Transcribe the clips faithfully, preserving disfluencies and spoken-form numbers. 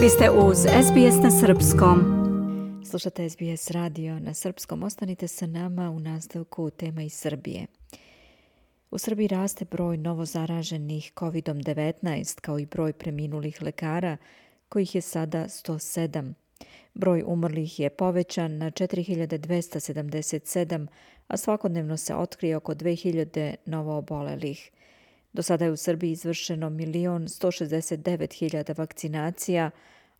Vi ste uz S B S na srpskom. Slušate S B S radio na srpskom. Ostanite sa nama u nastavku tema iz Srbije. U Srbiji raste broj novozaraženih kovid devetnaest kao i broj preminulih lekara, kojih je sada sto sedam. Broj umrlih je povećan na četiri hiljade dvesta sedamdeset sedam, a svakodnevno se otkrije oko dve hiljade novoobolelih. Do sada je u Srbiji izvršeno milion sto šezdeset devet hiljada vakcinacija,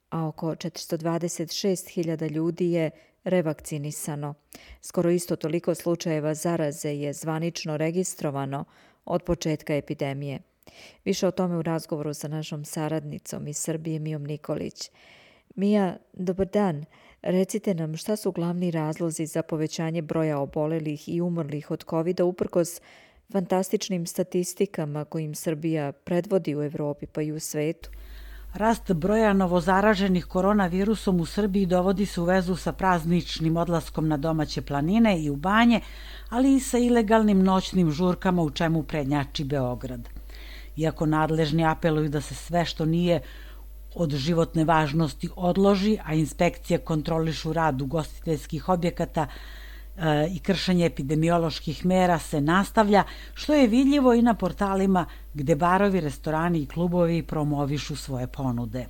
a oko četiristo dvadeset šest hiljada ljudi je revakcinisano. Skoro isto toliko slučajeva zaraze je zvanično registrovano od početka epidemije. Više o tome u razgovoru sa našom saradnicom iz Srbije, Mijom Nikolić. Mija, dobar dan. Recite nam šta su glavni razlozi za povećanje broja obolelih i umrlih od kovida uprkos fantastičnim statistikama kojim Srbija predvodi u Evropi pa i u svetu? Rast broja novozaraženih koronavirusom u Srbiji dovodi se u vezu sa prazničnim odlaskom na domaće planine i u banje, ali i sa ilegalnim noćnim žurkama u čemu prednjači Beograd. Iako nadležni apeluju da se sve što nije od životne važnosti odloži, a inspekcije kontrolišu rad ugostiteljskih objekata e, i kršenje epidemioloških mera se nastavlja, što je vidljivo i na portalima gde barovi, restorani i klubovi promovišu svoje ponude.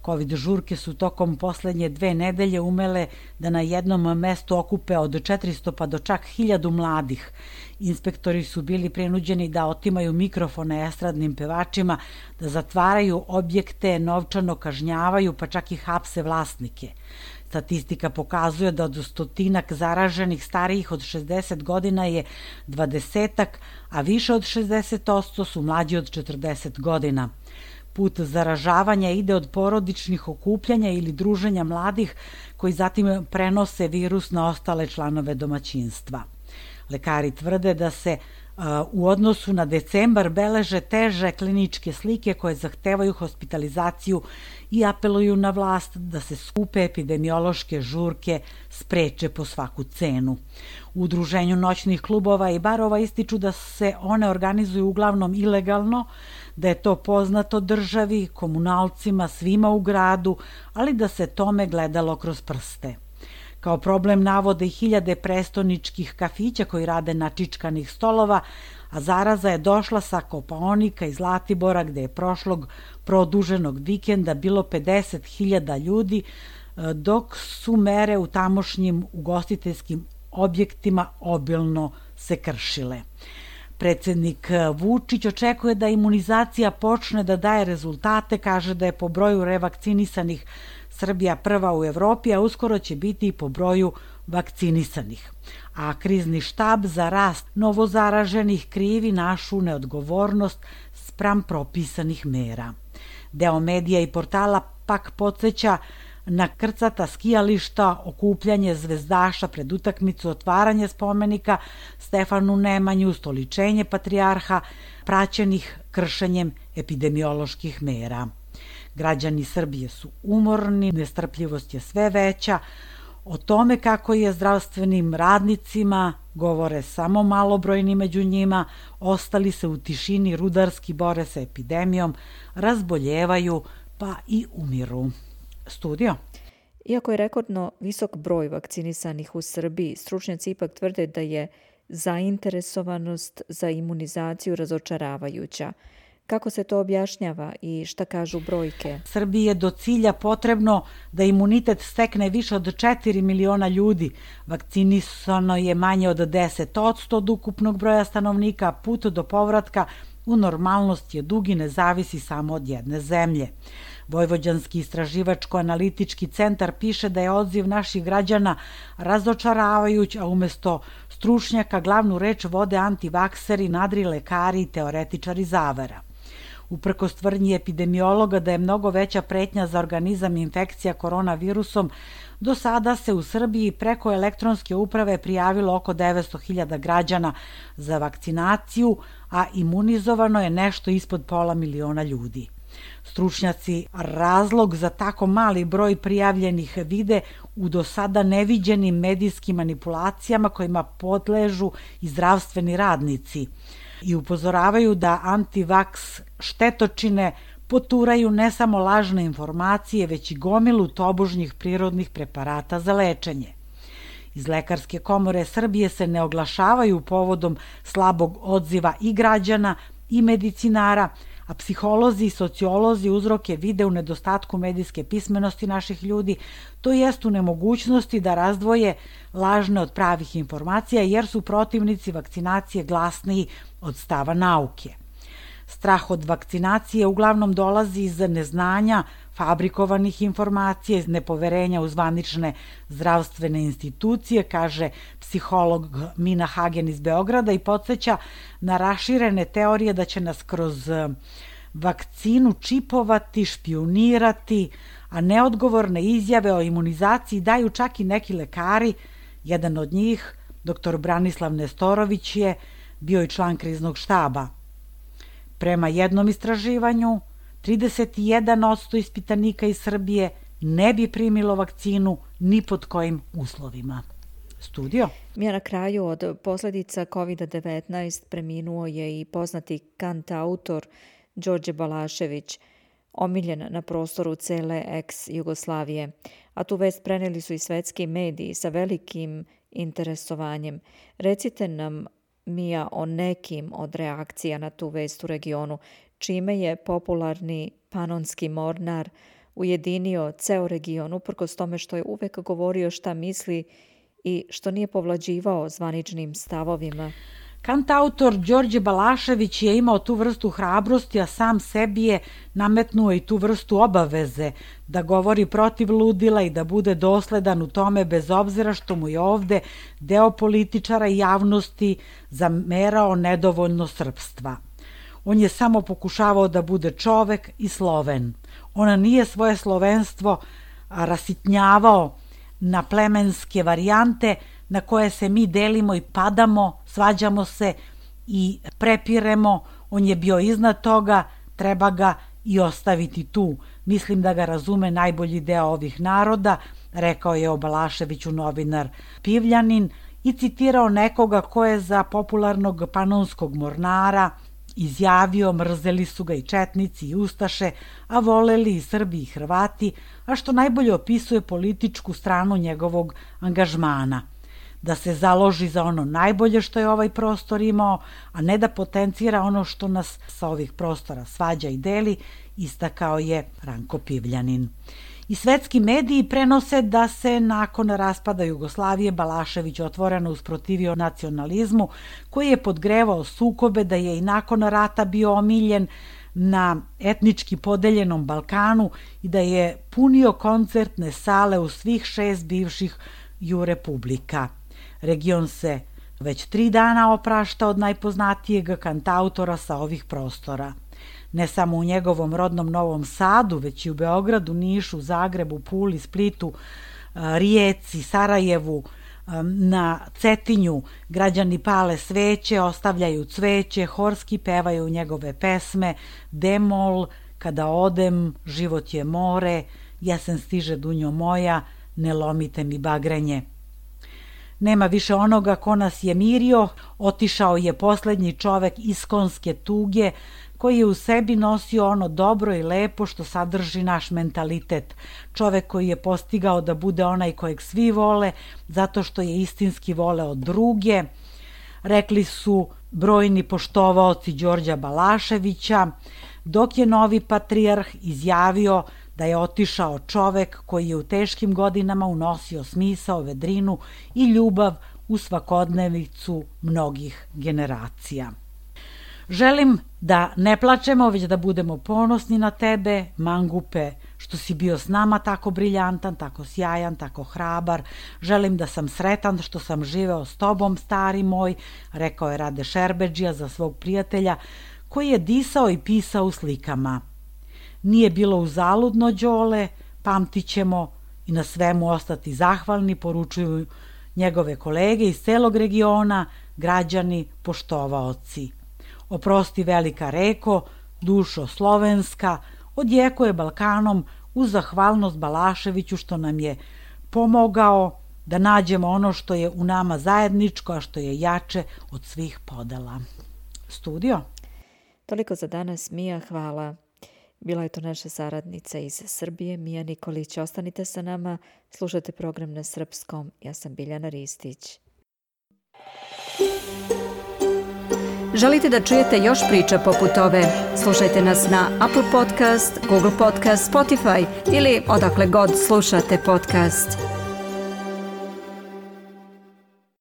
Covid žurke su tokom poslednje dve nedelje umele da na jednom mestu okupe od četiristo pa do čak hiljadu mladih. Inspektori su bili prinuđeni da otimaju mikrofone estradnim pevačima, da zatvaraju objekte, novčano kažnjavaju, pa čak i hapse vlasnike. Statistika pokazuje da od stotinak zaraženih starijih od šezdeset godina je dvadesetak, a više od šezdeset posto su mlađi od četrdeset godina. Put zaražavanja ide od porodičnih okupljanja ili druženja mladih koji zatim prenose virus na ostale članove domaćinstva. Lekari tvrde da se uh, u odnosu na decembar beleže teže kliničke slike koje zahtevaju hospitalizaciju i apeluju na vlast da se skupe epidemiološke žurke spreče po svaku cenu. U udruženju noćnih klubova i barova ističu da se one organizuju uglavnom ilegalno, da je to poznato državi, komunalcima, svima u gradu, ali da se tome gledalo kroz prste. Kao problem navode i hiljade prestoničkih kafića koji rade na čičkanih stolova, a zaraza je došla sa Kopaonika i Zlatibora gde je prošlog produženog vikenda bilo pedeset hiljada ljudi, dok su mere u tamošnjim ugostiteljskim objektima obilno se kršile. Predsednik Vučić očekuje da imunizacija počne da daje rezultate, kaže da je po broju revakcinisanih Srbija prva u Evropi, a uskoro će biti i po broju vakcinisanih. A krizni štab za rast novozaraženih krivi našu neodgovornost spram propisanih mera. Deo medija i portala pak podsjeća na krcata skijališta, okupljanje zvezdaša pred utakmicu, otvaranje spomenika Stefanu Nemanju, stoličenje patrijarha, praćenih kršenjem epidemioloških mera. Građani Srbije su umorni, nestrpljivost je sve veća. O tome kako je zdravstvenim radnicima govore samo malobrojni među njima, ostali se u tišini rudarski bore sa epidemijom, razboljevaju pa i umiru. Studio. Iako je rekordno visok broj vakcinisanih u Srbiji, stručnjaci ipak tvrde da je zainteresovanost za imunizaciju razočaravajuća. Kako se to objašnjava i šta kažu brojke? Srbiji je do cilja potrebno da imunitet stekne više od četiri miliona ljudi. Vakcinisano je manje od deset posto od ukupnog broja stanovnika, put do povratka u normalnost je dug i ne zavisi samo od jedne zemlje. Vojvođanski istraživačko-analitički centar piše da je odziv naših građana razočaravajuć, a umesto stručnjaka glavnu reč vode antivakseri, nadri lekari i teoretičari zavera. Uprkos tvrdnji epidemiologa da je mnogo veća pretnja za organizam infekcija koronavirusom, do sada se u Srbiji preko elektronske uprave prijavilo oko devetsto hiljada građana za vakcinaciju, a imunizovano je nešto ispod pola miliona ljudi. Stručnjaci razlog za tako mali broj prijavljenih vide u do sada neviđenim medijskim manipulacijama kojima podležu i zdravstveni radnici i upozoravaju da antivaks štetočine poturaju ne samo lažne informacije, već i gomilu tobožnjih prirodnih preparata za lečenje. Iz Lekarske komore Srbije se ne oglašavaju povodom slabog odziva i građana i medicinara, a psiholozi i sociolozi uzroke vide u nedostatku medijske pismenosti naših ljudi, to jest u nemogućnosti da razdvoje lažne od pravih informacija, jer su protivnici vakcinacije glasniji od stava nauke. Strah od vakcinacije uglavnom dolazi iz neznanja, fabrikovanih informacija, iz nepoverenja u zvanične zdravstvene institucije, kaže psiholog Mina Hagen iz Beograda i podsjeća na raširene teorije da će nas kroz vakcinu čipovati, špijunirati, a neodgovorne izjave o imunizaciji daju čak i neki lekari. Jedan od njih, doktor Branislav Nestorović, je bio i član kriznog štaba. Prema jednom istraživanju, trideset jedan posto ispitanika iz Srbije ne bi primilo vakcinu ni pod kojim uslovima. Studio? Mi na kraju od posljedica kovid devetnaest preminuo je i poznati kantautor Đorđe Balašević, omiljen na prostoru cele ex-Jugoslavije. A tu vest preneli su i svetski mediji sa velikim interesovanjem. Recite nam, Mija, o nekim od reakcija na tu vest u regionu, čime je popularni panonski mornar ujedinio ceo region, uprkos tome što je uvek govorio šta misli i što nije povlađivao zvaničnim stavovima. Kantautor Đorđe Balašević je imao tu vrstu hrabrosti, a sam sebi je nametnuo i tu vrstu obaveze da govori protiv ludila i da bude dosledan u tome, bez obzira što mu je ovde deo političara i javnosti zamerao nedovoljno srpstva. On je samo pokušavao da bude čovek i Sloven. On nije svoje slovenstvo rasitnjavao na plemenske varijante na koje se mi delimo i padamo, svađamo se i prepiremo. On je bio iznad toga, treba ga i ostaviti tu. Mislim da ga razume najbolji deo ovih naroda, rekao je o Balaševiću novinar Pivljanin i citirao nekoga ko je za popularnog panonskog mornara izjavio: mrzeli su ga i četnici i ustaše, a voleli i Srbi i Hrvati, a što najbolje opisuje političku stranu njegovog angažmana. Da se založi za ono najbolje što je ovaj prostor imao, a ne da potencira ono što nas sa ovih prostora svađa i deli, istakao je Ranko Pivljanin. I svetski mediji prenose da se nakon raspada Jugoslavije Balašević otvoreno usprotivio nacionalizmu, koji je podgrevao sukobe, da je i nakon rata bio omiljen na etnički podeljenom Balkanu i da je punio koncertne sale u svih šest bivših ju republika. Region se već tri dana oprašta od najpoznatijeg kantautora sa ovih prostora. Ne samo u njegovom rodnom Novom Sadu, već i u Beogradu, Nišu, Zagrebu, Puli, Splitu, Rijeci, Sarajevu, na Cetinju građani pale sveće, ostavljaju cveće, horski pevaju njegove pesme: Demol, Kada odem, Život je more, Jesen stiže dunjo moja, Ne lomite mi bagrenje. Nema više onoga ko nas je mirio, otišao je poslednji čovek iskonske tuge, koji je u sebi nosio ono dobro i lepo što sadrži naš mentalitet. Čovek koji je postigao da bude onaj kojeg svi vole, zato što je istinski voleo druge. Rekli su brojni poštovaoci Đorđa Balaševića, dok je novi patrijarh izjavio da je otišao čovek koji je u teškim godinama unosio smisao, vedrinu i ljubav u svakodnevicu mnogih generacija. Želim da ne plačemo, već da budemo ponosni na tebe, mangupe, što si bio s nama tako briljantan, tako sjajan, tako hrabar. Želim da sam sretan što sam živeo s tobom, stari moj, rekao je Rade Šerbedžija za svog prijatelja, koji je disao i pisao u slikama. Nije bilo uzaludno, Đole, pamtit ćemo i na svemu ostati zahvalni, poručuju njegove kolege iz celog regiona, građani, poštovaoci. Oprosti velika reko, dušo slovenska, odjeko je Balkanom uz zahvalnost Balaševiću što nam je pomogao da nađemo ono što je u nama zajedničko, a što je jače od svih podela. Studio? Toliko za danas, Mija, hvala. Bila je to naša saradnica iz Srbije, Mija Nikolić. Ostanite sa nama, slušajte program na srpskom. Ja sam Biljana Ristić. Želite da čujete još priča poput ove? Slušajte nas na Apple Podcast, Google Podcast, Spotify ili odakle god slušate podcast.